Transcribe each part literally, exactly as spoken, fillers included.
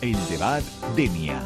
El debat Denia.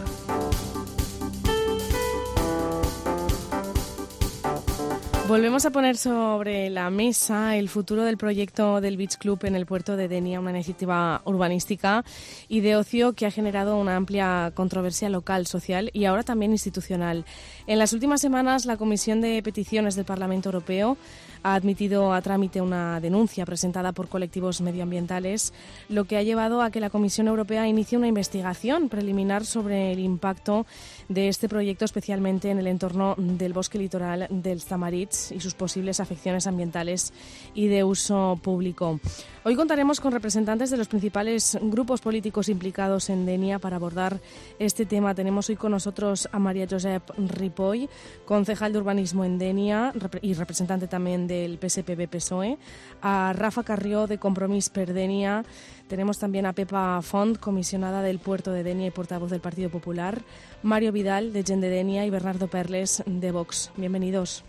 Volvemos a poner sobre la mesa el futuro del proyecto del Beach Club en el puerto de Denia, una iniciativa urbanística y de ocio que ha generado una amplia controversia local, social y ahora también institucional. En las últimas semanas, la Comisión de Peticiones del Parlamento Europeo ha admitido a trámite una denuncia presentada por colectivos medioambientales, lo que ha llevado a que la Comisión Europea inicie una investigación preliminar sobre el impacto de este proyecto, especialmente en el entorno del bosque litoral del Tamaritz y sus posibles afecciones ambientales y de uso público. Hoy contaremos con representantes de los principales grupos políticos implicados en Denia para abordar este tema. Tenemos hoy con nosotros a María Josep Ripoll, concejal de urbanismo en Denia y representante también del P S P B P S O E, a Rafa Carrió de Compromís per Denia. Tenemos también a Pepa Font, comisionada del puerto de Denia y portavoz del Partido Popular, Mario Vidal de Gent de Denia y Bernardo Perles de Vox. Bienvenidos.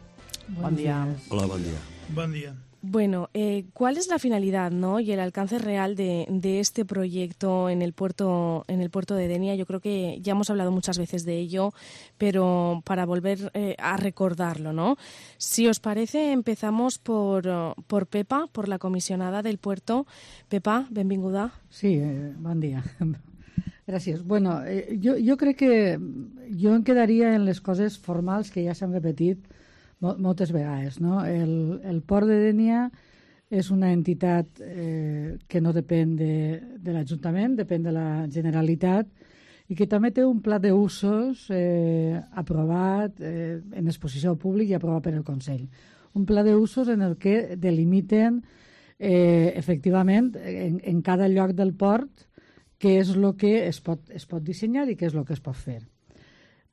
Buen día. Hola, buen día. Buen día. Bueno, eh, ¿cuál es la finalidad, ¿no? y el alcance real de, de este proyecto en el puerto en el puerto de Denia? Yo creo que ya hemos hablado muchas veces de ello, pero para volver eh, a recordarlo, ¿no? Si os parece, empezamos por, por Pepa, por la comisionada del puerto. Pepa, benvinguda. Sí, eh, bon dia. Gràcies. Bueno, eh, jo, jo crec que jo em quedaria en les coses formals que ja s'han repetit moltes vegades, no? El, el port de Denia és una entitat eh, que no depèn de, de l'Ajuntament, depèn de la Generalitat i que també té un pla d'usos eh, aprovat eh, en exposició públic i aprovat per el Consell. Un pla d'usos en el que delimiten eh, efectivament en, en cada lloc del port què és el que es pot, es pot dissenyar i què és el que es pot fer.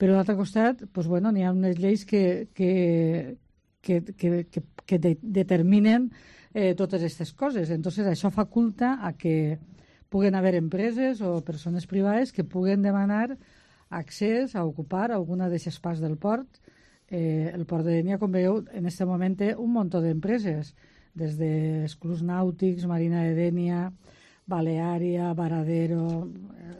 Però, a l'altre costat, doncs, bueno, n'hi ha unes lleis que, que, que, que, que, que de, determinen eh, totes aquestes coses. Entonces, això faculta a que puguen haver empreses o persones privades que puguen demanar accés a ocupar alguna d'aquestes parts del port. Eh, el port de Denia, com veieu, en aquest moment té un munt d'empreses, des dels clubs nàutics, Marina de Denia, Baleària, Varadero,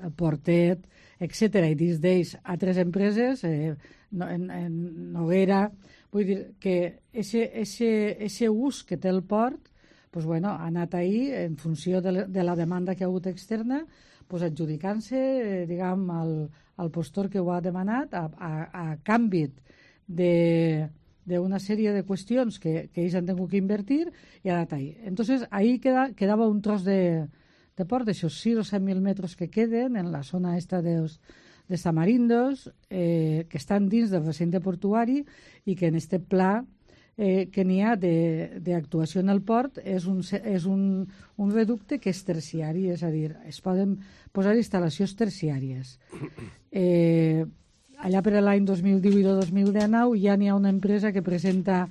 el Portet, etcètera. I dins d'ells altres empreses, eh, en, en Noguera. Vull dir que aquest ús que té el port pues, bueno, ha anat ahí en funció de, de la demanda que ha hagut externa, pues, adjudicant-se eh, diguem, al, al postor que ho ha demanat a, a, a canvi de d'una sèrie de qüestions que, que ells han tingut que invertir i ha anat ahí. Entonces, ahí queda, quedava un tros de de port, d'aixòs sis o set mil metres que queden en la zona esta dels, dels tamarindos, eh, que estan dins del recinte portuari i que en este pla eh, que n'hi ha d'actuació en el port és, un, és un, un reducte que és terciari, és a dir, es poden posar instal·lacions terciàries. Eh, allà per l'any dos mil divuit o dos mil dinou ja n'hi ha una empresa que presenta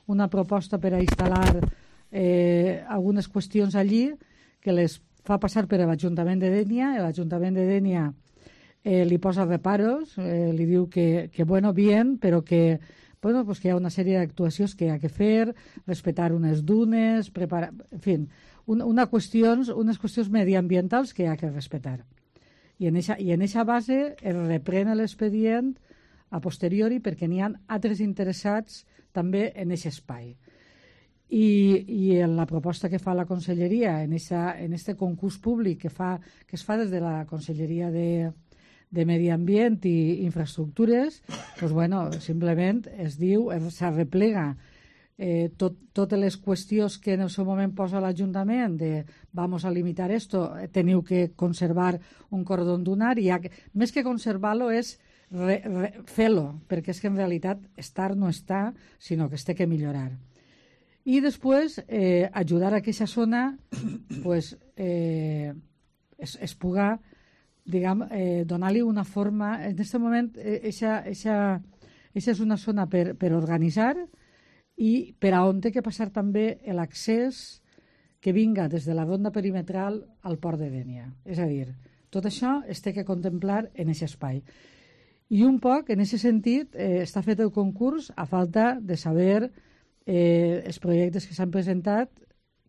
una proposta per a instal·lar eh, algunes qüestions allí que les fa passar per l'Ajuntament de Denia, i l'Ajuntament de Denia eh, li posa reparos, eh, li diu que, que bueno, bien, però que, bueno, pues que hi ha una sèrie d'actuacions que hi ha que fer, respetar unes dunes, preparar, en fi, una, una qüestions, unes qüestions mediambientals que hi ha que respetar. I en eixa, i en eixa base es reprèn l'expedient a posteriori perquè n'hi ha altres interessats també en aquest espai. I, i en la proposta que fa la Conselleria en aquest concurs públic que, fa, que es fa des de la Conselleria de, de Medi Ambient i Infraestructures, doncs, bueno, simplement es diu, s'arreplega eh, tot, totes les qüestions que en el seu moment posa l'Ajuntament de vamos a limitar esto, teniu que conservar un cordón dunar i ha, més que conservar-lo és re, re, fer-lo, perquè és que en realitat estar no està, sinó que es té que millorar. I després eh, ajudar a que aquesta zona pues, eh, es, es puga diguem, eh, donar-li una forma. En aquest moment, aquesta eh, és una zona per, per organitzar i per a on té que passar també l'accés que vinga des de la ronda perimetral al port de Denia. És a dir, tot això es té que contemplar en aquest espai. I un poc, en aquest sentit, eh, està fet el concurs a falta de saber eh, els projectes que s'han presentat,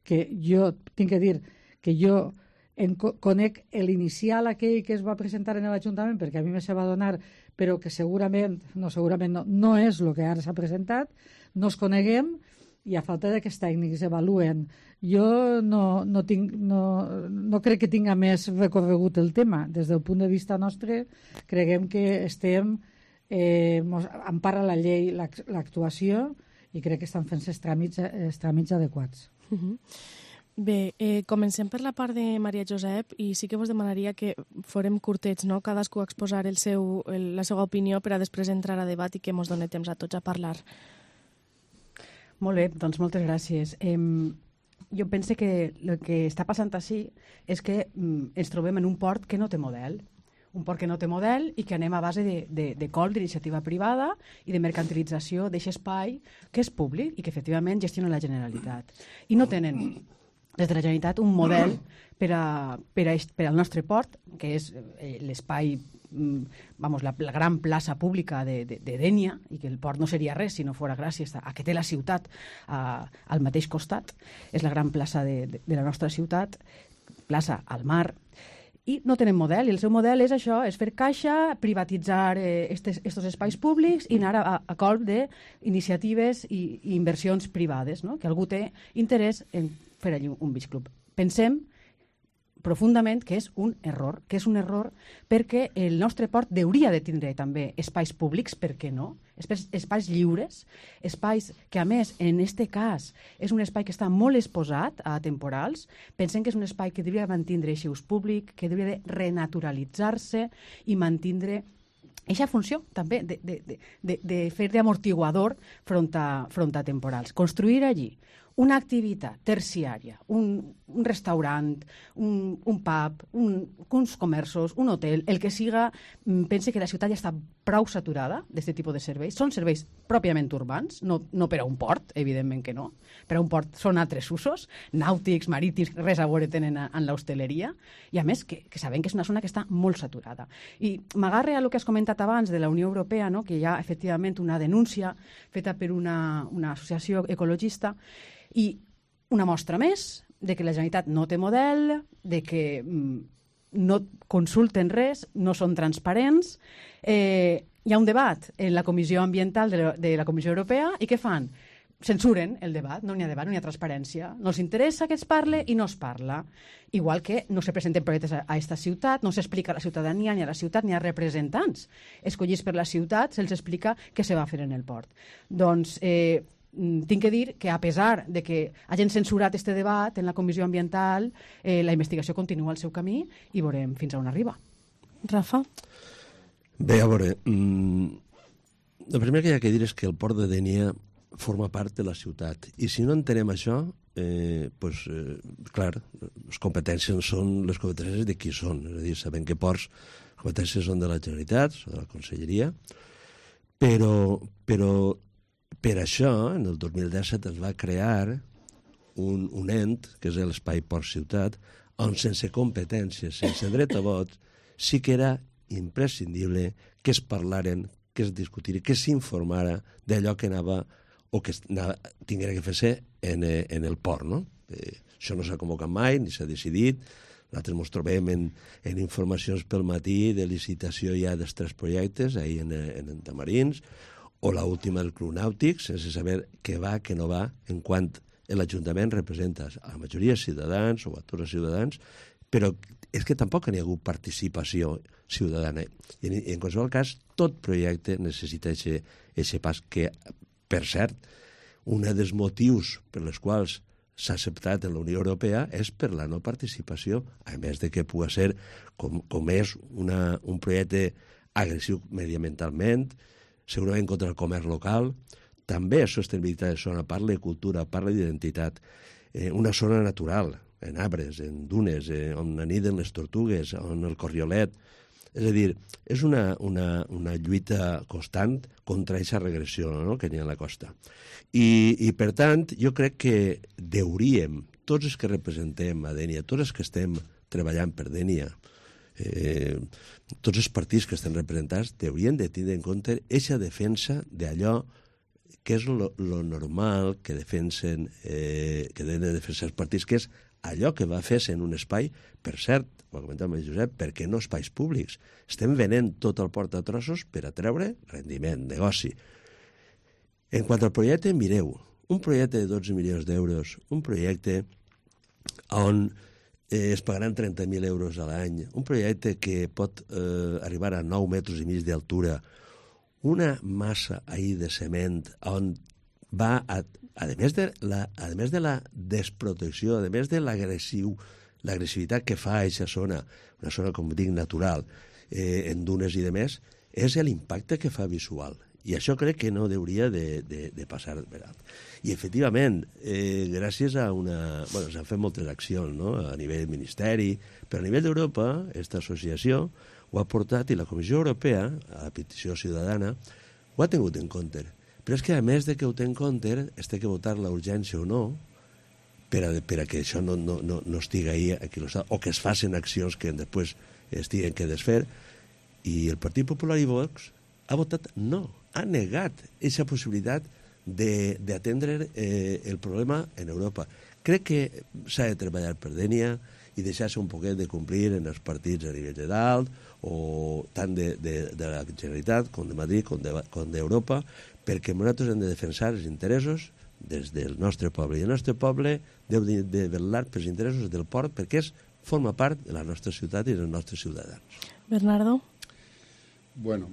que jo tinc que dir que jo en co conec l'inicial aquell que es va presentar en l'Ajuntament, perquè a mi me se va donar, però que segurament, no, segurament no, no és el que ara s'ha presentat, no es coneguem, i a falta de que els tècnics evaluen. Jo no, no, tinc, no, no crec que tinga més recorregut el tema. Des del punt de vista nostre, creguem que estem, eh, mos empara la llei l'actuació i crec que estan fent els tràmits, els tràmits adequats. Uh-huh. Bé, eh, comencem per la part de Maria Josep i sí que vos demanaria que forem curtets, no? Cadascú a exposar el seu, el, la seva opinió per a després entrar a debat i que mos doni temps a tots a parlar. Molt bé, doncs moltes gràcies. Eh, jo penso que el que està passant així és que mm, ens trobem en un port que no té model. Un port que no té model i que anem a base de, de, de col d'iniciativa privada i de mercantilització d'aquest espai que és públic i que efectivament gestiona la Generalitat. I no tenen des de la Generalitat un model per, a, per, a, per al nostre port, que és eh, l'espai, vamos, la, la gran plaça pública de, de, de Dénia, i que el port no seria res si no fora gràcies a, a que té la ciutat a, al mateix costat. És la gran plaça de, de, de la nostra ciutat, plaça al mar, i no tenen model, i el seu model és això, és fer caixa, privatitzar eh, estes, estos espais públics i anar a, a colp d'iniciatives i, i inversions privades, no? Que algú té interès en fer allí un beach club. Pensem profundament que és un error, que és un error perquè el nostre port hauria de tindre també espais públics, per què no? Espais, espais lliures, espais que a més en este cas és un espai que està molt exposat a temporals. Pensem que és un espai que hauria de mantindre aquest ús públic, que hauria de renaturalitzar-se i mantindre aquesta funció també de, de, de, de, de fer d'amortiguador front a, front a temporals. Construir allí una activitat terciària, un, un restaurant, un, un pub, un, uns comerços, un hotel, el que siga, pense que la ciutat ja està prou saturada d'aquest tipus de serveis. Són serveis pròpiament urbans, no, no per a un port, evidentment que no. Per a un port són altres usos, nàutics, marítims, res a veure tenen en l'hostaleria, i a més que, que sabem que és una zona que està molt saturada. I m'agarre a el que has comentat abans de la Unió Europea, no? Que hi ha efectivament una denúncia feta per una, una associació ecologista, i una mostra més de que la Generalitat no té model, de que mm, no consulten res, no són transparents. Eh, hi ha un debat en la Comissió Ambiental de la, de la Comissió Europea i què fan? Censuren el debat, no n'hi ha debat, no n'hi ha transparència. No els interessa que es parle i no es parla. Igual que no se presenten projectes a aquesta ciutat, no s'explica a la ciutadania ni a la ciutat ni a representants escollits per la ciutat, se'ls explica què se va fer en el port. Doncs eh, tinc que dir que a pesar de que hagin censurat este debat en la Comissió Ambiental, eh, la investigació continua el seu camí i veurem fins a on arriba. Rafa? Bé, a veure, mmm, el primer que hi ha que dir és que el port de Dénia forma part de la ciutat i si no entenem això, eh, pues, eh, clar, les competències són les competències de qui són, és a dir, sabem que ports, les competències són de la Generalitat, són de la Conselleria, però, però per això, en el dos mil disset es va crear un, un ent, que és l'Espai Port Ciutat, on sense competències, sense dret a vot, sí que era imprescindible que es parlaren, que es discutiri, que s'informara d'allò que anava o que anava, tinguera que fer-se en, en el port, no? Eh, això no s'ha convocat mai, ni s'ha decidit. Nosaltres ens trobem en, en informacions pel matí de licitació ja dels tres projectes, ahir en, en, en Tamarins, o l'última del Club Nàutic, sense saber què va, què no va, en quant l'Ajuntament representa a la majoria de ciutadans o a tots els ciutadans, però és que tampoc n'hi ha hagut participació ciutadana. I en, en qualsevol cas, tot projecte necessita aquest pas que, per cert, un dels motius per els quals s'ha acceptat en la Unió Europea és per la no participació, a més de que pugui ser, com, com és una, un projecte agressiu mediambientalment, segurament contra el comerç local, també sostenibilitat de zona, parla de cultura, parla d'identitat, eh, una zona natural, en arbres, en dunes, eh, on aniden les tortugues, on el corriolet. És a dir, és una, una, una lluita constant contra aquesta regressió, no?, que hi ha a la costa. I, I, per tant, jo crec que hauríem, tots els que representem a Dénia, tots els que estem treballant per Dénia, Eh, tots els partits que estan representats haurien de tenir en compte aquesta defensa d'allò que és lo, lo normal que defensen, eh, que tenen de defensar els partits, que és allò que va fer-se en un espai, per cert, ho ha comentat el Josep, perquè no espais públics. Estem venent tot el port a trossos per a treure rendiment, negoci. En quant al projecte, mireu, un projecte de dotze milions d'euros, un projecte on eh, es pagaran trenta mil euros a l'any, un projecte que pot eh, arribar a nou metres i mig d'altura, una massa ahir de cement on va, a, a, més de la, a més de la desprotecció, a més de l'agressiu, l'agressivitat que fa a aquesta zona, una zona, com dic, natural, eh, en dunes i de més, és l'impacte que fa visual. I això crec que no hauria de, de, de passar per alt. I, efectivament, eh, gràcies a una... Bueno, s'han fet moltes accions, no?, a nivell ministeri, però a nivell d'Europa, aquesta associació ho ha portat, i la Comissió Europea, a la petició ciutadana, ho ha tingut en compte. Però és que, a més de que ho té en compte, es té que votar la urgència o no, per a, per a que això no, no, no, no estigui ahí, aquí, o que es facin accions que després estiguen que desfer, i el Partit Popular i Vox ha votat no, ha negat aquesta possibilitat d'atendre eh, el problema en Europa. Crec que s'ha de treballar per Dénia i deixar-se un poquet de complir en els partits a nivell de dalt, o tant de, de, de la Generalitat com de Madrid com d'Europa, de, perquè nosaltres hem de defensar els interessos des del nostre poble. I el nostre poble deu de, de vetllar pels interessos del port perquè és, forma part de la nostra ciutat i dels nostres ciutadans. Bernardo? Bueno,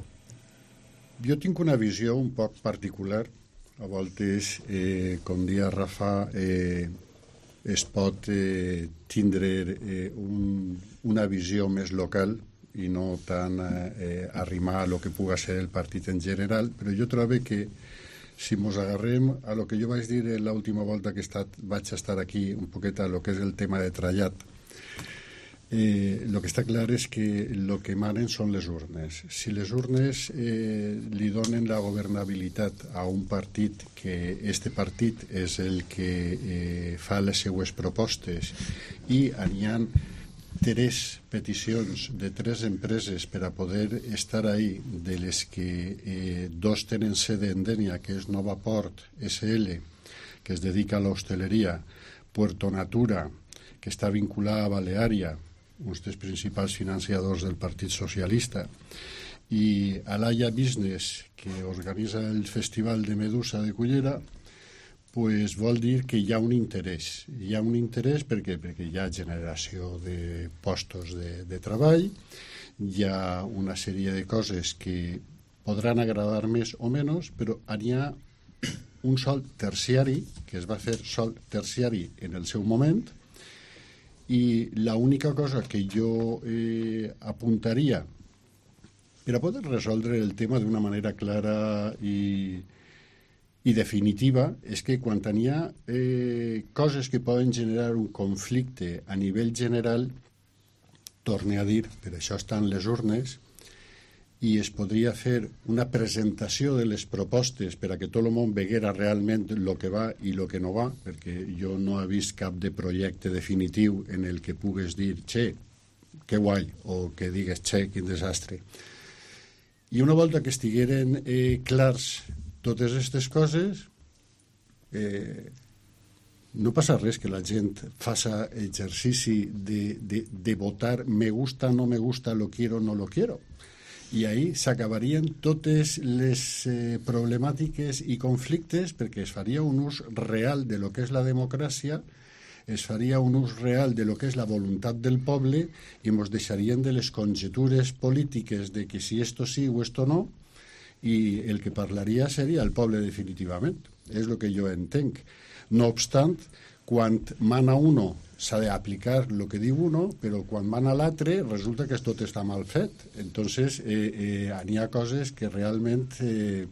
jo tinc una visió un poc particular. A voltes, eh, com dia Rafa, eh, es pot eh, tindre eh, un, una visió més local i no tant eh, arrimar a lo que puga ser el partit en general, però jo trobo que si mos agarrem a lo que jo vaig dir l'última volta que he estat, vaig estar aquí un poquet a lo que és el tema de trallat, Eh, lo que està clar és que el que manen són les urnes. Si les urnes eh, li donen la governabilitat a un partit, que este partit és el que eh, fa les seues propostes, i hi ha tres peticions de tres empreses per a poder estar ahí, de les que eh, dos tenen sede en Dénia, que és Nova Port essa ele, que es dedica a l'hostaleria, Puerto Natura, que està vinculada a Baleària, uns dels principals financiadors del Partit Socialista, i Alaya Business, que organitza el Festival de Medusa de Cullera, pues vol dir que hi ha un interès. Hi ha un interès perquè, perquè hi ha generació de postos de, de treball, hi ha una sèrie de coses que podran agradar més o menys, però hi ha un sol terciari, que es va fer sol terciari en el seu moment, i l'única cosa que jo eh, apuntaria per a poder resoldre el tema d'una manera clara i, i definitiva és que quan hi ha eh, coses que poden generar un conflicte a nivell general, torne a dir, per això estan les urnes, i es podria fer una presentació de les propostes per a que tot el món veguera realment el que va i el que no va, perquè jo no he vist cap de projecte definitiu en el que pugues dir, che, que guai, o que digues, che, quin desastre. I una volta que estigueren eh, clars totes aquestes coses, eh, no passa res que la gent faça exercici de, de, de votar me gusta, no me gusta, lo quiero, no lo quiero. I ahí s'acabarien totes les eh, problemàtiques i conflictes, perquè es faria un ús real de lo que és la democràcia, es faria un ús real de lo que és la voluntat del poble, i ens deixarien de les conjetures polítiques de que si esto sí o esto no, i el que parlaria seria el poble definitivament. És el que jo entenc. No obstant, quan mana uno s'ha d'aplicar el que diu uno, però quan mana l'altre resulta que tot està mal fet. Entonces, eh, eh, n'hi ha coses que realment eh,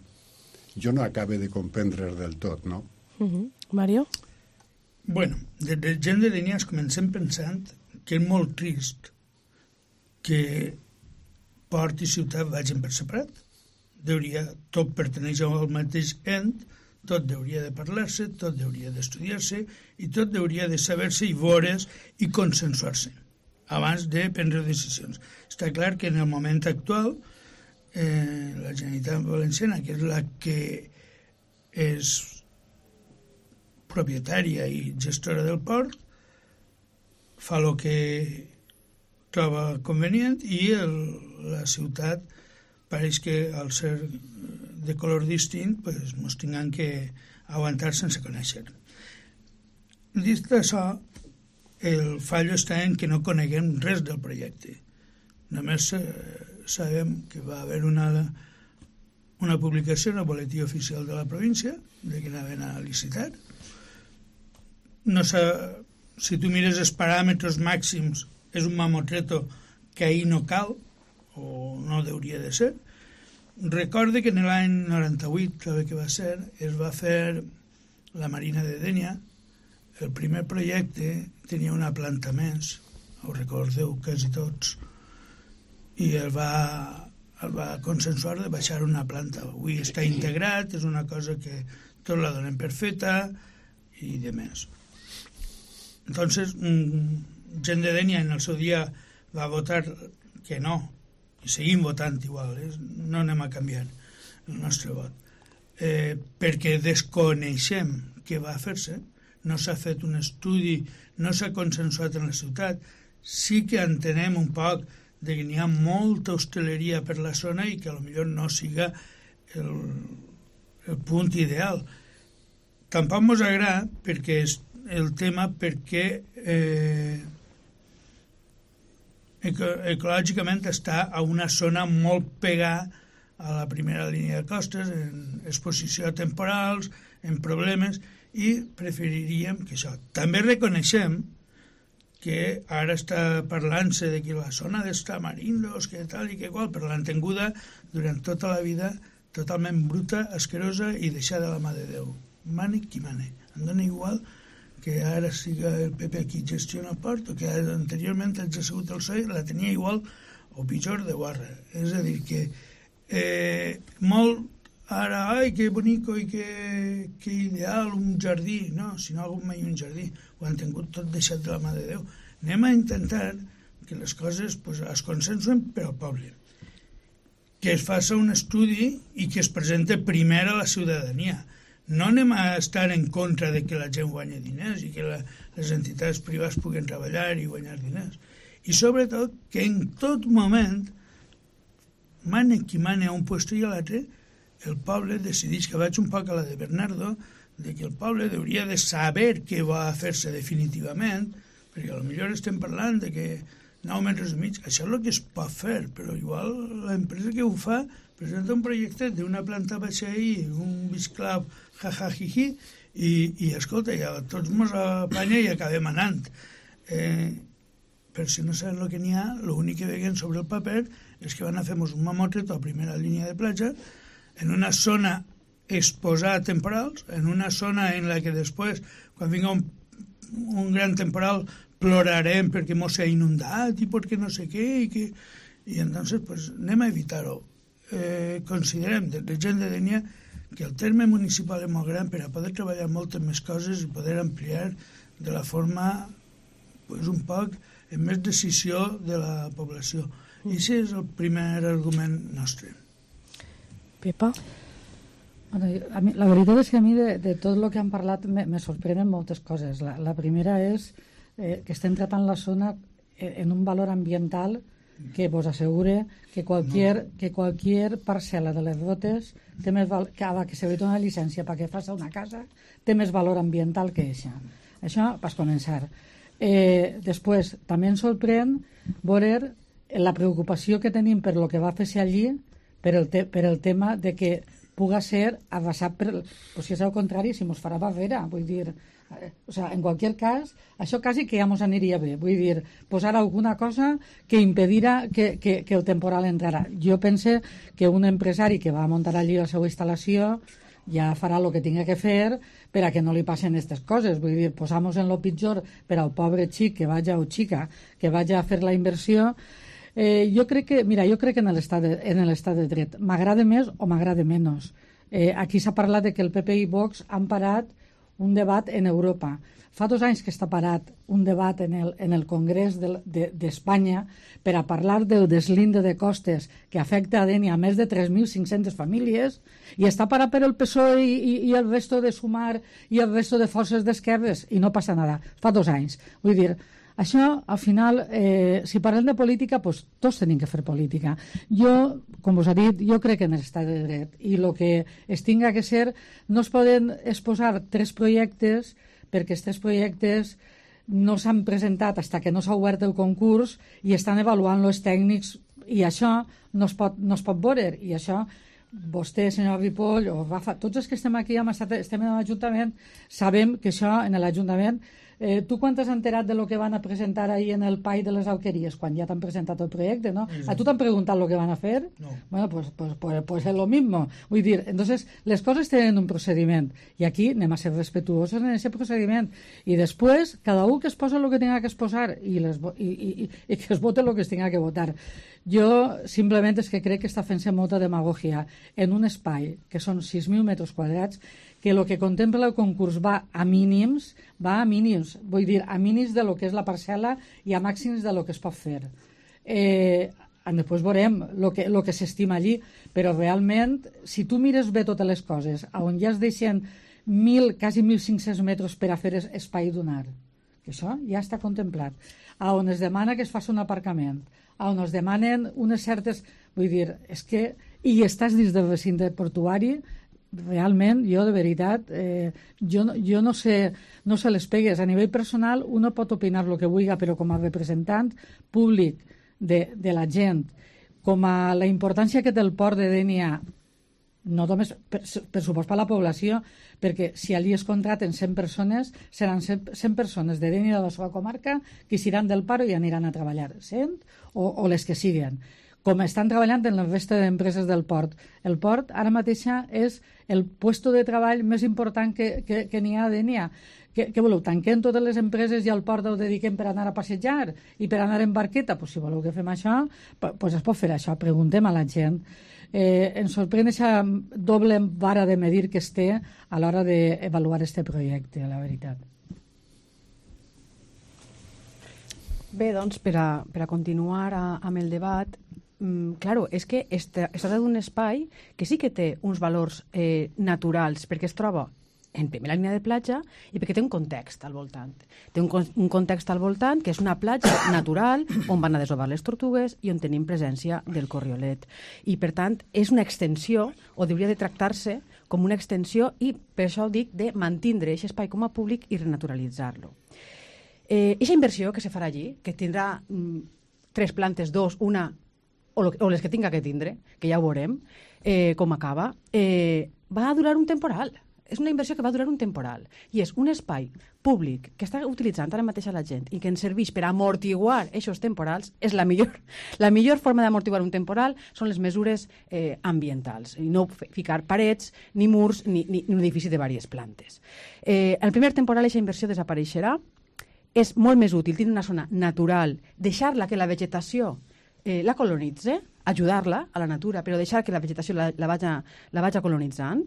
jo no acabe de comprendre del tot, no? Uh-huh. Mario? Bueno, des de gent de Dénia comencem pensant que és molt trist que port i ciutat vagin per separat. Deuria, tot perteneix al mateix ent, tot hauria de parlar-se, tot hauria d'estudiar-se i tot hauria de saber-se i veure's i consensuar-se abans de prendre decisions. Està clar que en el moment actual eh, la Generalitat Valenciana, que és la que és propietària i gestora del port, fa el que troba convenient i el, la ciutat pareix que al ser de color distint pues, mos tinguem que aguantar sense conèixer. Dit això, el fallo està en que no coneguem res del projecte. Només eh, sabem que va haver una, una publicació en el boletí oficial de la província de que anaven a licitar. No sé, si tu mires els paràmetres màxims, és un mamotreto que ahir no cal, o no hauria de ser. Recorde que en l'any noranta-vuit, crec que va ser, es va fer la Marina de Dénia. El primer projecte tenia una planta més, ho recordeu quasi tots, i el va, el va consensuar de baixar una planta. Avui està integrat, és una cosa que tot la donem per feta i de més. Entonces, gent de Dénia en el seu dia va votar que no, i seguim votant igual, eh? No anem a canviar el nostre vot, eh, perquè desconeixem què va fer-se, no s'ha fet un estudi, no s'ha consensuat en la ciutat, sí que entenem un poc de que n'hi ha molta hostaleria per la zona i que potser no siga el, el punt ideal. Tampoc mos agrada perquè és el tema perquè eh, ecològicament està a una zona molt pegada a la primera línia de costes, en exposició a temporals, en problemes, i preferiríem que això. També reconeixem que ara està parlant-se de que la zona dels tamarindos, que tal i que qual, però l'han tinguda durant tota la vida totalment bruta, asquerosa i deixada de la mà de Déu. Mane qui mane. Em dona igual que ara siga el P P qui gestiona el port o que anteriorment ha sigut el P S O E, la tenia igual o pitjor de guarra. És a dir, que eh, molt ara, ai, que bonico i que, que ideal un jardí. No, si no ha hagut mai un jardí, ho han tingut tot deixat de la mà de Déu. Anem a intentar que les coses pues, es consensuen per al poble, que es faci un estudi i que es presente primer a la ciutadania. No anem a estar en contra de que la gent guanyi diners i que la, les entitats privades puguen treballar i guanyar diners. I sobretot que en tot moment, mane qui mane a un lloc i a l'altre, el poble decideix, que vaig un poc a la de Bernardo, de que el poble hauria de saber què va a fer-se definitivament, perquè potser estem parlant de que nou metres i mig, això és el que es pot fer, però igual l'empresa que ho fa presenta un projecte d'una planta baixa i un bisclau jajajiji i, i escolta, ja tots mos apanya i acabem anant. Eh, per si no saben el que n'hi ha, l'únic que veiem sobre el paper és que van a fer-nos un mamotreto a primera línia de platja en una zona exposada a temporals, en una zona en la que després, quan vinga un, un gran temporal, plorarem perquè mos s'ha inundat i perquè no sé què, i que... i entonces pues, anem a evitar-ho. Eh, considerem, de la gent de Dénia, que el terme municipal és molt gran per a poder treballar moltes més coses i poder ampliar de la forma pues, un poc en més decisió de la població. I aquest és el primer argument nostre. Pepa? Bueno, a mi, la veritat és que a mi de, de tot el que han parlat me, me sorprenen moltes coses. La, la primera és eh, que estem tratant la zona en un valor ambiental que vos assegure que qualquier, no. que qualquier parcel·la de les rotes té més val... que, que se li dona una llicència perquè faci una casa té més valor ambiental que això. Això per començar. Eh, després, també ens sorprèn veure la preocupació que tenim per lo que va fer-se allí per el, te, per el tema de que puga ser arrasat per... Pues si és al contrari, si mos farà barrera, vull dir... O sea, en cualquier cas, això quasi que ja mos aniria bé. Vull dir, posar alguna cosa que impedirà que, que, que el temporal entrarà. Jo pense que un empresari que va muntar allí la seva instal·lació ja farà el que tinga que fer per a que no li passen aquestes coses. Vull dir, posamos en lo pitjor per al pobre xic que vaja o xica que vaja a fer la inversió. Eh, jo crec que, mira, jo crec que en l'estat de, en l'estat de dret m'agrada més o m'agrada menys. Eh, aquí s'ha parlat de que el P P i Vox han parat un debat en Europa. Fa dos anys que està parat un debat en el, en el Congrés d'Espanya de, de, per a parlar del deslinde de costes que afecta a Dénia a més de tres mil cinc-centes famílies i està parat per el P S O E i, i, i el resto de Sumar i el resto de forces d'esquerres i no passa nada. Fa dos anys. Vull dir, Això, al final, eh, si parlem de política, doncs tots tenim que fer política. Jo, com us ha dit, jo crec en l'estat de dret i el que es tinga que ser, no es poden exposar tres projectes perquè aquests projectes no s'han presentat fins que no s'ha obert el concurs i estan avaluant els tècnics i això no es pot, no es pot veure. I això, vostè, senyor Ripoll, o Rafa, tots els que estem aquí, hem estat, estem en l'Ajuntament, sabem que això en l'Ajuntament... Eh, tu quan t'has enterat de lo que van a presentar ahir en el Pai de les Alqueries, quan ja t'han presentat el projecte, no? Sí. A tu t'han preguntat lo que van a fer? No. Bueno, pues, pues, pues, pues es lo mismo. Vull dir, entonces, les coses tenen un procediment, i aquí anem a ser respetuosos en aquest procediment, i després, cada un que es posa el que tenga que exposar i, les, i, i, i, i que es vote el que es tenga que votar. Jo, simplement, és que crec que està fent-se molta demagogia en un espai que són sis mil metres quadrats, que el que contempla el concurs va a mínims, va a mínims, vull dir, a mínims de lo que és la parcel·la i a màxims de lo que es pot fer. Eh, després veurem el que, lo que s'estima allí, però realment, si tu mires bé totes les coses, on ja es deixen mil, quasi mil cinc-cents metres per a fer espai dunar, que això ja està contemplat, a on es demana que es faci un aparcament, a on es demanen unes certes... Vull dir, és que... I estàs dins del recinte portuari... Realment, jo de veritat, eh, jo, jo no sé, no sé les pegues. A nivell personal, uno pot opinar el que vulgui, però com a representant públic de, de la gent, com a la importància que té el port de Dénia, no només per, per supost per la població, perquè si allí es contraten cent persones, seran cent persones de Dénia de la seva comarca que seran del paro i aniran a treballar, cent o, o les que siguen, com estan treballant en la resta d'empreses del port. El port ara mateixa és el puesto de treball més important que, que, que n'hi ha a Dénia. Què, què voleu? Tanquem totes les empreses i al port ho dediquem per anar a passejar i per anar en barqueta? Pues si voleu que fem això, pues es pot fer això. Preguntem a la gent. Eh, ens sorprèn aquesta doble vara de medir que es té a l'hora d'avaluar aquest projecte, la veritat. Bé, doncs, per a, per a continuar a, amb el debat, mm, claro, és que es, es tracta d'un espai que sí que té uns valors eh, naturals, perquè es troba en primera línia de platja i perquè té un context al voltant. Té un, un context al voltant que és una platja natural on van a desovar les tortugues i on tenim presència del corriolet. I, per tant, és una extensió, o hauria de tractar-se com una extensió, i per això dic de mantindre aquest espai com a públic i renaturalitzar-lo. Eh, eixa inversió que se farà allí, que tindrà mm, tres plantes, dos, una, o, lo, o les que tinga que tindre, que ja ho veurem, eh, com acaba, eh, va durar un temporal. És una inversió que va durar un temporal. I és un espai públic que està utilitzant ara mateix a la gent i que ens serveix per amortiguar aquests temporals. És la millor, la millor forma d'amortiguar un temporal són les mesures eh, ambientals. I no ficar parets, ni murs, ni, ni, ni un edifici de diverses plantes. Eh, el primer temporal aquesta inversió desapareixerà. És molt més útil tenir una zona natural, deixar-la que la vegetació eh, la colonitze, ajudar-la a la natura, però deixar que la vegetació la, la, vaja, la vaja colonitzant.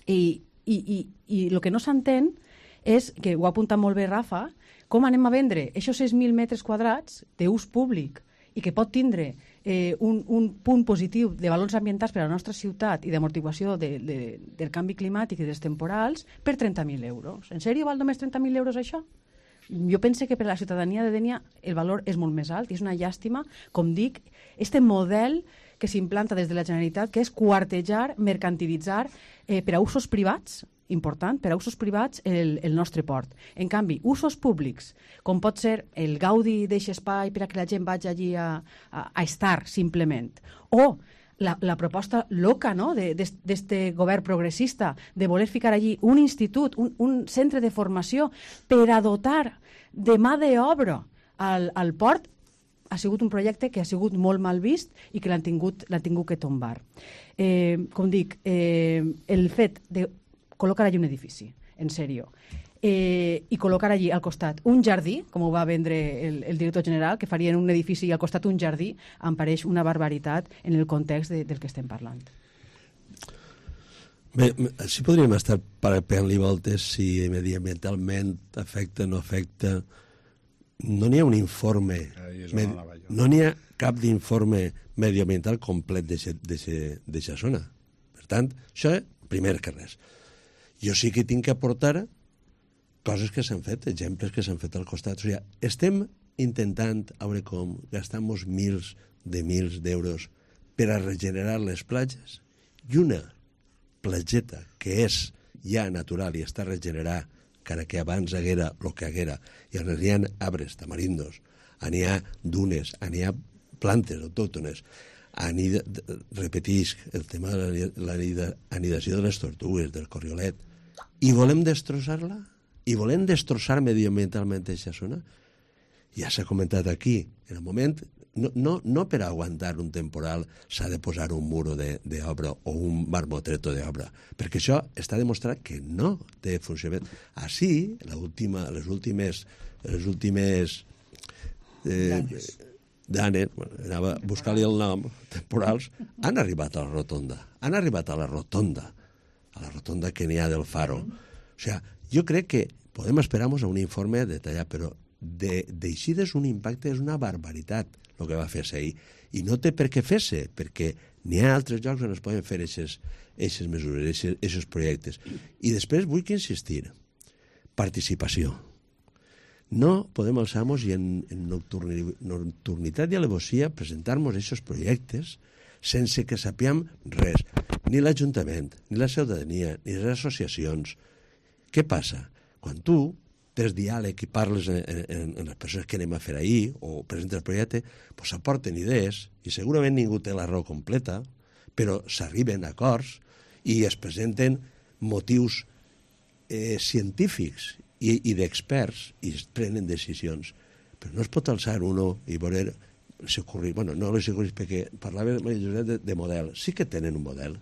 I, i, i, i el que no s'entén és, que ho ha apuntat molt bé Rafa, com anem a vendre aquests sis mil metres quadrats d'ús públic i que pot tindre eh, un, un punt positiu de valors ambientals per a la nostra ciutat i d'amortiguació de, de, del canvi climàtic i dels temporals per trenta mil euros. En sèrio val només trenta mil euros això? Jo penso que per a la ciutadania de Dénia el valor és molt més alt i és una llàstima, com dic, este model que s'implanta des de la Generalitat, que és quartejar, mercantilitzar eh, per a usos privats, important, per a usos privats el, el nostre port. En canvi, usos públics, com pot ser el gaudi d'aquest espai per a que la gent vagi allí a, a, a estar, simplement, o La, la proposta loca, no?, d'aquest govern progressista de voler ficar allí un institut, un, un centre de formació per a dotar de mà d'obra al, al port, ha sigut un projecte que ha sigut molt mal vist i que l'han tingut, l'han tingut que tombar. Eh, com dic, eh, el fet de col·locar allí un edifici, en sèrio, Eh, i col·locar allí al costat un jardí, com ho va vendre el, el director general, que farien un edifici i al costat un jardí, em pareix una barbaritat en el context de, del que estem parlant. Bé, sí podríem estar pegant-li voltes si mediambientalment afecta o no afecta. No n'hi ha un informe, med... no n'hi ha cap d'informe medioambiental complet d'aquesta zona. Per tant, això, primer que res. Jo sí que tinc que aportar coses que s'han fet, exemples que s'han fet al costat. O sigui, estem intentant, a veure com, gastar-nos mils de mils d'euros per a regenerar les platges, i una platgeta que és ja natural i està regenerada, encara que abans haguera el que haguera, i on hi ha arbres, tamarindos, on hi ha dunes, on hi ha plantes autòctones, anida, repetisc el tema de l'anidació de les tortugues, del corriolet, i volem destrossar-la? I volem destrossar mediambientalment aquesta zona? Ja s'ha comentat aquí, en el moment, no, no, no per aguantar un temporal s'ha de posar un muro d'obra o un marmotreto d'obra, perquè això està demostrat que no té funcionament. Així, l'última, les últimes, les últimes eh, danes, bueno, anava a buscar-li el nom, temporals, han arribat a la rotonda, han arribat a la rotonda, a la rotonda que n'hi ha del Faro. O sigui, jo crec que podem esperar-nos a un informe detallat, però d'eixides un impacte és una barbaritat el que va fer-se ahir. I no té per què fer-se, perquè n'hi ha altres llocs on es poden fer aquestes mesures, aquests projectes. I després vull que insistir, participació. No podem alçar-nos i en, en nocturnitat i alevosia presentar-nos aquests projectes sense que sapiem res, ni l'Ajuntament, ni la ciutadania, ni les associacions. Què passa? Quan tu tens diàleg i parles en, en, en les persones que anem a fer ahir o presentes el projecte, doncs s'aporten idees i segurament ningú té la raó completa, però s'arriben a acords i es presenten motius eh, científics i, i d'experts i es prenen decisions. Però no es pot alçar uno i veure s'ocorrir, bueno, no s'ocorrir perquè parlava de, de model. Sí que tenen un model,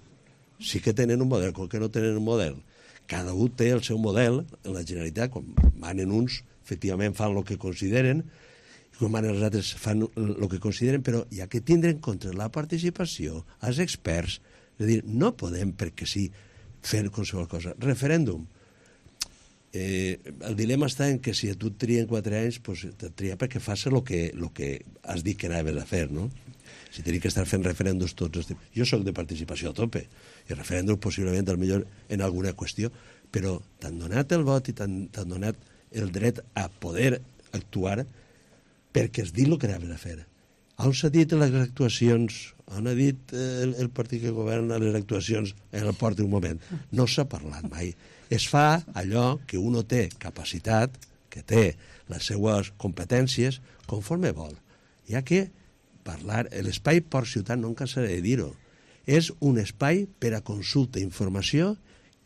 sí que tenen un model, com que no tenen un model. Cada un té el seu model, en la Generalitat, quan manen uns, efectivament fan el que consideren, i quan manen els altres fan el que consideren, però hi ha que tindre en compte la participació, els experts, és a dir, no podem, perquè sí, fer qualsevol cosa. Referèndum. Eh, el dilema està en que si a tu et trien quatre anys, pues, te tria perquè fas el que, el que has dit que anaves a fer, no? Si tenim que estar fent referèndums tots els temps. Jo soc de participació a tope, i referèndums possiblement al millor en alguna qüestió, però t'han donat el vot i t'han donat el dret a poder actuar perquè has dit el que anaves a fer. On s'ha dit les actuacions, on ha dit el, el partit que governa les actuacions en el port d'un moment? No s'ha parlat mai. Es fa allò que uno té capacitat, que té les seues competències, conforme vol. Hi ha que parlar, l'espai port-ciutat, no em cansaré de dir-ho, és un espai per a consulta, informació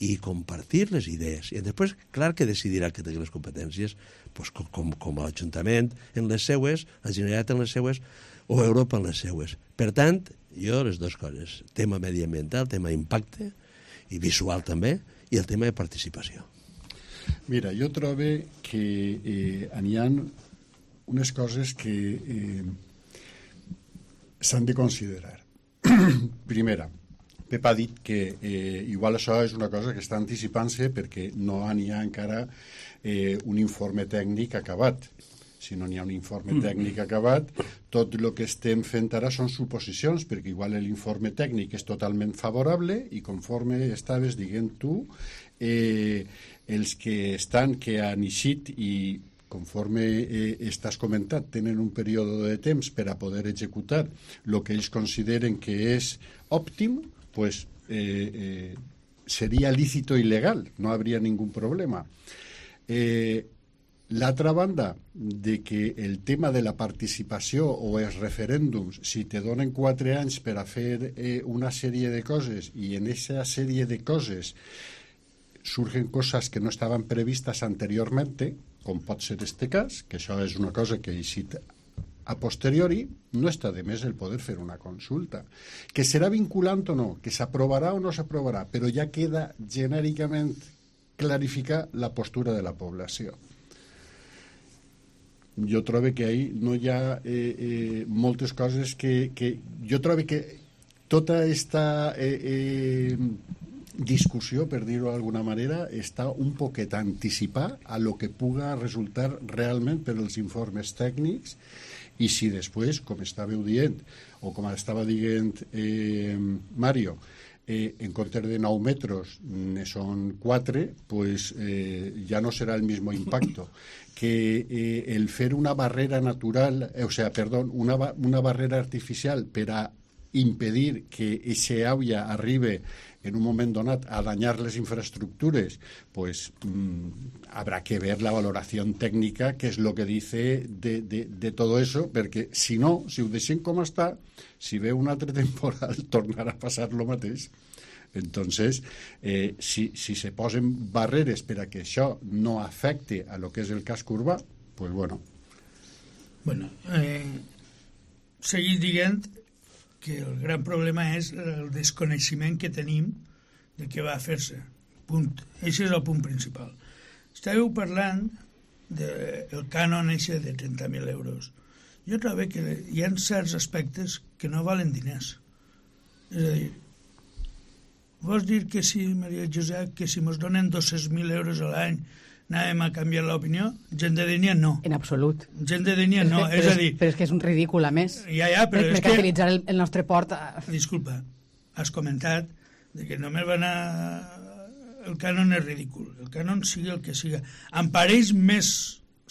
i compartir les idees. I després, clar que decidirà que té les competències, doncs com, com, com l'Ajuntament en les seues, la Generalitat en les seues, o Europa en les seues. Per tant, jo les dues coses, tema mediambiental, tema impacte, i visual també, i el tema de participació. Mira, jo trobo que eh, n'hi ha unes coses que eh, s'han de considerar. Primera, Pep ha dit que eh, igual això és una cosa que està anticipant-se perquè no n'hi ha encara eh, un informe tècnic acabat. Si no n'hi ha un informe tècnic acabat, tot el que estem fent ara són suposicions, perquè igual l'informe tècnic és totalment favorable i conforme estaves dient tu, eh, els que estan, que han eixit i conforme eh, estàs comentat, tenen un període de temps per a poder executar el que ells consideren que és òptim, pues eh, eh, seria lícito i legal, no habría ningún problema. Eh, L'altra banda, de que el tema de la participació o els referèndums, si te donen quatre anys per a fer eh, una sèrie de coses i en aquesta sèrie de coses surgen coses que no estaven previstes anteriormente, com pot ser este cas, que això és una cosa que ha eixit a posteriori, no està de més el poder fer una consulta. Que serà vinculant o no, que s'aprovarà o no s'aprovarà, però ja queda genèricament clarificar la postura de la població. Jo trobo que ahí no hi ha eh, eh, moltes coses que, que... Jo trobo que tota aquesta eh, eh, discussió, per dir-ho d'alguna manera, està un poquet anticipada a lo que puga resultar realment per als informes tècnics i si després, com estàveu dient, o com estava dient eh, Mario, eh, en comptes de nou metres ne són quatre, pues eh, ja no serà el mismo impacto. Que eh, el fer una barrera natural, eh, o sea, perdón, una, una barrera artificial per a impedir que ese aula arribe en un moment donat a dañar les infraestructures, pues mmm, habrá que ver la valoración técnica, que es lo que dice de, de, de todo eso, perquè si no, si ho deixem com està, si ve un altre temporal tornarà a passar lo mateix. Entonces, eh, si, si se posen barreres per a que això no afecte a lo que és el casc urbà, pues bueno. Bueno, eh, seguir dient que el gran problema és el desconeixement que tenim de què va fer-se. Punt. Això és el punt principal. Estàveu parlant del cànon eixe de trenta mil euros. Jo trobo que hi ha certs aspectes que no valen diners. És a dir, vols dir que si, Maria Josep, que si mos donen dos-cents mil euros a l'any anàvem a canviar l'opinió? Gent de Dénia no. En absolut. Gent de Dénia no, és, és però a dir... Però és que és un ridícul, a més. Ja, ja, però és que... Mercantilitzar el, el nostre port... Disculpa, has comentat de que només va anar... El cànon és ridícul. El cànon sigui el que siga. Em pareix més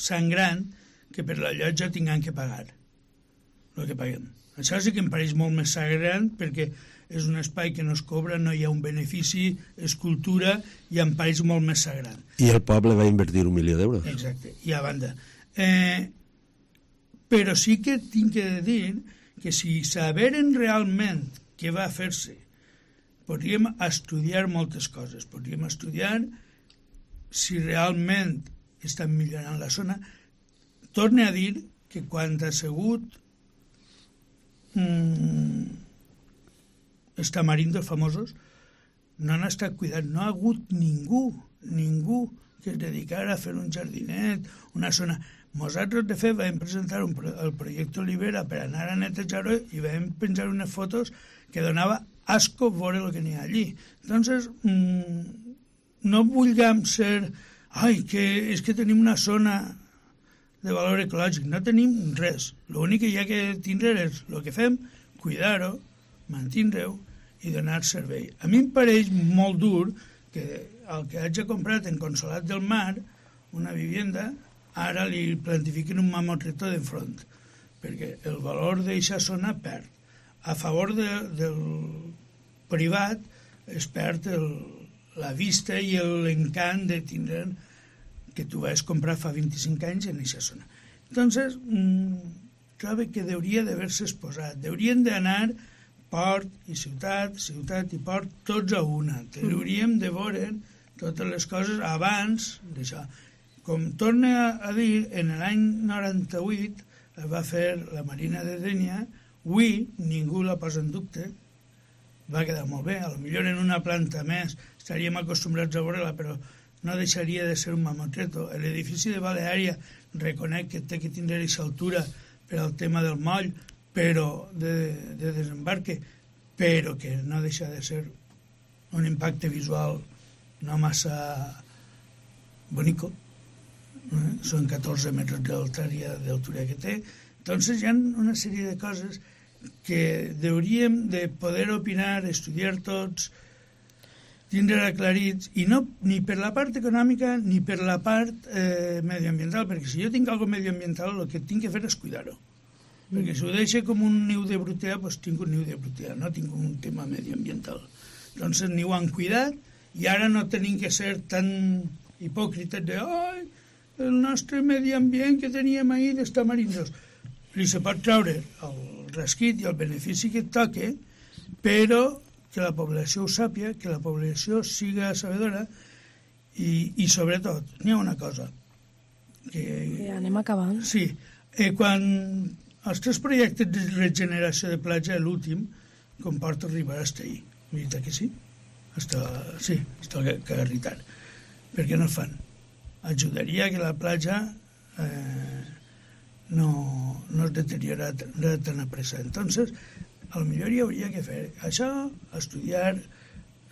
sangrant que per la llotja tinguem que pagar el que paguem. Això sí que em pareix molt més sangrant perquè és un espai que no es cobra, no hi ha un benefici, és cultura, i em pareix molt més sagrant. I el poble va invertir un milió d'euros. Exacte, i a banda. Eh, però sí que tinc que dir que si saberen realment què va fer-se, podríem estudiar moltes coses. Podríem estudiar si realment estan millorant la zona. Torne a dir que quan ha sigut mmm, els tamarindos famosos no han estat cuidats, no ha hagut ningú, ningú que es dedicara a fer un jardinet, una zona. Nosaltres, de fet, vam presentar un, el projecte Olivera per anar a netejar-ho i vam penjar unes fotos que donava asco veure el que n'hi ha allí. Entonces, mmm, no vulguem ser... Ai, que és que tenim una zona de valor ecològic. No tenim res. L'únic que hi ha que tindre és el que fem, cuidar-ho, mantindre-ho i donar servei. A mi em pareix molt dur que el que hagi comprat en Consolat del Mar, una vivienda, ara li plantifiquen un mamotreto d'enfront, perquè el valor d'aquesta zona perd. A favor de, del privat es perd el, la vista i l'encant de tindre que tu vas comprar fa vint-i-cinc anys en aquesta zona. Entonces, mmm, trobo que hauria d'haver-se exposat. Haurien d'anar port i ciutat, ciutat i port, tots a una. Hauríem de veure totes les coses abans d'això. Com torna a dir, en l'any noranta-vuit es va fer la Marina de Dénia, avui ningú la posa en dubte, va quedar molt bé, potser en una planta més estaríem acostumbrats a veure-la, però no deixaria de ser un mamotreto. L'edifici de Baleària reconec que té que tindre aquesta altura per al tema del moll, però de, de desembarque, però que no deixa de ser un impacte visual no massa bonico. Eh? Són catorze metres d'altura que té. Entonces hi ha una sèrie de coses que hauríem de poder opinar, estudiar tots, tindre aclarits, i no ni per la part econòmica ni per la part eh, medioambiental, perquè si jo tinc alguna medioambiental el que tinc que fer és cuidar-ho. Perquè si ho deixo com un niu de brutea, doncs tinc un niu de brutea, no tinc un tema medioambiental. Doncs ni ho han cuidat i ara no tenim que ser tan hipòcrites de ai, el nostre medi ambient que teníem ahir dels tamarindos. Li se pot treure el resquit i el benefici que et toque, però que la població ho sàpia, que la població siga sabedora i, i sobretot, n'hi ha una cosa. Que, que anem acabant. Sí, eh, quan els tres projectes de regeneració de platja, l'últim, comporta arribar a estar ahí. Veritat que sí? Hasta, sí, està garritant. Per què no el fan? Ajudaria que la platja eh, no, no es deteriora tan a pressa. Entonces, a lo millor hi hauria que fer això, estudiar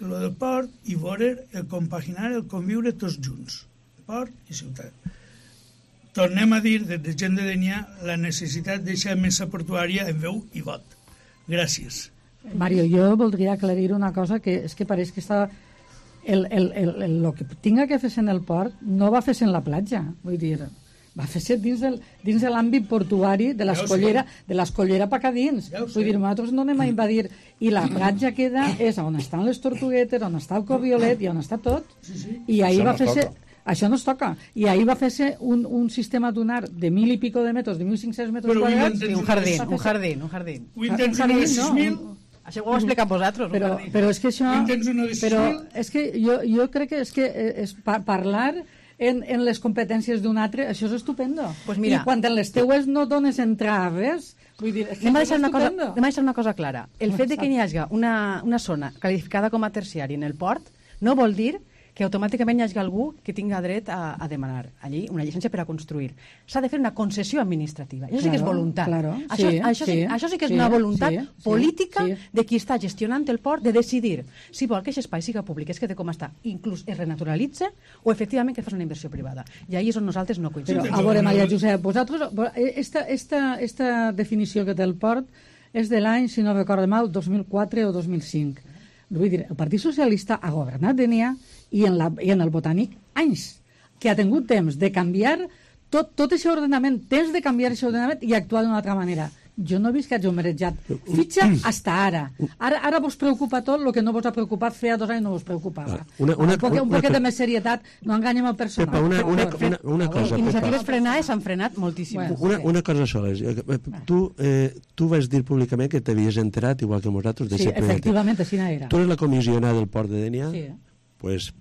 lo del port i veure el compaginar, el conviure tots junts, port i ciutat. Tornem a dir, des de Gent de Dénia, la necessitat de deixar mesa portuària en veu i vot. Gràcies. Mario, jo voldria aclarir una cosa, que és que pareix que està... El, el, el, el, el que tinga que fer-se en el port no va fer-se en la platja, vull dir, va fer-se dins, del, dins de l'àmbit portuari de l'escollera Ja de l'escollera per acá dins. Ja Vull dir, nosaltres no anem a invadir, i la platja queda és on estan les tortuguetes, on està el corriolet i on està tot. Sí, sí. I ahir Això va no fer-se... toca. Això no es toca. I ahir va fer-se un, un sistema dunar de mil i pico de metres, de mil cinc-cents metres Però quadrats. avui I un jardín, un jardín, un jardín. Avui en tens Un una de jardín, sis no. mil, Això ho heu explicat vosaltres, un Però, jardín. però és que això... Avui en tens una de sis Però mil. és que jo, jo crec que és que és pa parlar en, en les competències d'un altre, això és estupendo. Pues mira. I quan en les teues no dones entrar a res, vull dir, és que Anem a això deixar és una cosa, estupendo. anem a deixar una cosa clara. El fet de que hi hagi una, una zona qualificada com a terciari en el port no vol dir que automàticament hi hagi algú que tinga dret a, a demanar allí una llicència per a construir. S'ha de fer una concessió administrativa. Això sí que és Claro, voluntat. claro, això, sí, això, sí, sí, això sí que és sí, una voluntat sí, sí, política sí. de qui està gestionant el port de decidir si vol que aquest espai siga públic, es quede com està, inclús es renaturalitza, o efectivament que fas una inversió privada. I ahí és on nosaltres no Però, coincidim. a veure, Maria Josep, vosaltres, esta, esta, esta definició que té el port és de l'any, si no recordo mal, dos mil quatre o dos mil cinc. Vull dir, el Partit Socialista ha governat Dénia i en, la, i en el Botànic anys, que ha tingut temps de canviar tot, tot aquest ordenament, temps de canviar aquest ordenament i actuar d'una altra manera. Jo no he vist que hagi merejat fitxa hasta ara. Ara, ara vos preocupa tot el que no vos ha preocupat feia dos anys no vos preocupava. Una- una- un poquet, un una- poquet de més serietat, no enganyem el personal. Pepa, una, una, una, una cosa. Iniciatives Pepa. frenades s'han frenat moltíssim. Bueno. Una, una cosa sola. Tu, eh, tu vas dir públicament que t'havies enterat, igual que nosaltres, Sí, d'aquest projecte. efectivament, així era. Tu eres la comissionada del port de Dénia, Sí. pues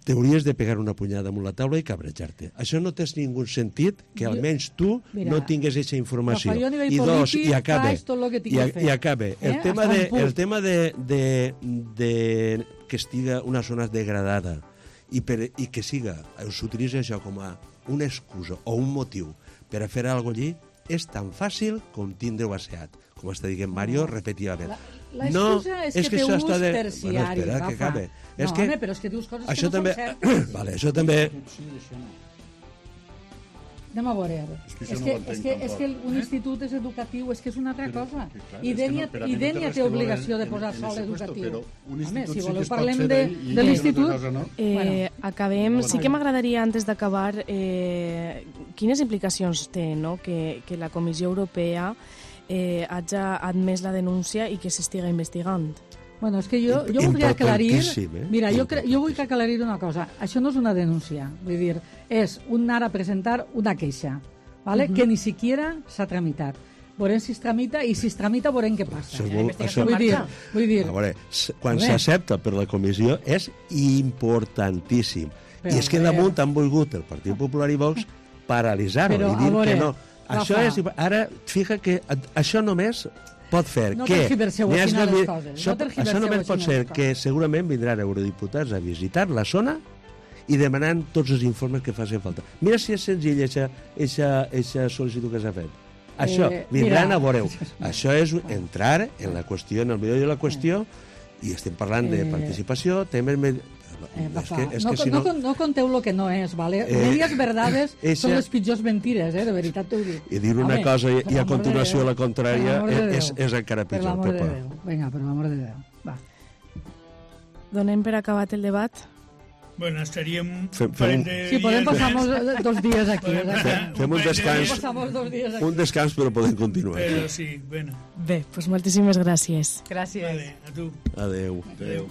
t'hauries de pegar una punyada amb la taula i cabrejar-te. Això no té ningú sentit que Jo- almenys tu Mira, no tingues aquesta informació. Rafa, jo a nivell I dos, polític i acabe, faig tot lo que tinc i, a- que fer. i acabe. El Eh? tema, Hasta de, un punt. el tema de, de, de que estiga una zona degradada i, per, i que siga, s'utilitza això com a una excusa o un motiu per a fer alguna allí, és tan fàcil com tindre-ho asseat. Com està dient Mario repetidament. La, l'excusa és, és que, té això ús està de... terciari, Bueno, espera, Rafa. que acabe. No, és que... home, però és que dius coses això que no també... són certes. vale, això també... Anem a veure. És que És això no que, ho entenc és que, és tampoc. que un institut és educatiu, és que és una altra cosa. que clar, I és que Dénia, no, però a i mi no té Dénia res té que veure obligació de en- posar en sol ese puesto, educatiu. però un Home, institut si sí que voleu es pot parlem fer de, d'ell i de una l'institut... altra cosa no. Eh, Bueno. acabem. Sí que Vale. m'agradaria, antes d'acabar, eh, quines implicacions té, no?, que, que la Comissió Europea eh, hagi admès la denúncia i que s'estiga investigant. Bueno, és que jo, jo voldria aclarir... Importantíssim, eh? Mira, jo, cre, jo vull que aclarir una cosa. Això no és una denúncia. Vull dir, és un anar a presentar una queixa, ¿vale? Uh -huh. que ni siquiera s'ha tramitat. Veurem si es tramita i si es tramita veurem què passa. Això, vol, això, Vull dir, vull dir a veure, s- quan A veure. s'accepta per la comissió és importantíssim. Però, I és que a veure. damunt han volgut el Partit Popular i Vox paralitzar-ho Però, i a dir veure, que no. Això Rafa. és, ara, fija que a- això només pot fer No que... tergiverseu n'hi així hagi- les coses, Això, no tergiverseu això només així pot les ser coses. que segurament vindran eurodiputats a visitar la zona i demanant tots els informes que facin falta. Mira si és senzill aquesta sol·licitud que s'ha fet. Això, Eh, vindran mira. a veure-ho. Això és entrar en la qüestió, en el milió de la qüestió, i estem parlant de Eh, participació, temes... Med... Eh, és Rafa, que, és no, que si no, no... no, no conteu lo que no és, ¿vale? Eh, Medias verdades eixa- són les pitjors mentires, eh? De veritat t'ho dic. I dir una Home, cosa i, per i a l'amor de continuació Déu, la contrària per l'amor de és, Déu. és encara Per pitjor, l'amor de Pepa. Déu. Vinga, per l'amor de Déu. Va. Donem per acabat el debat? Bueno, estaríem Fem- un parell fem un- de Sí, podem dies passar més, molts, dos dies aquí. podem eh? passar Fem un parell de descans. dies, Passar dos dies aquí. Un descans, però podem continuar. Però sí, bueno, Bé, doncs moltíssimes gràcies. Gràcies. vale, a tu. Adeu. Adéu.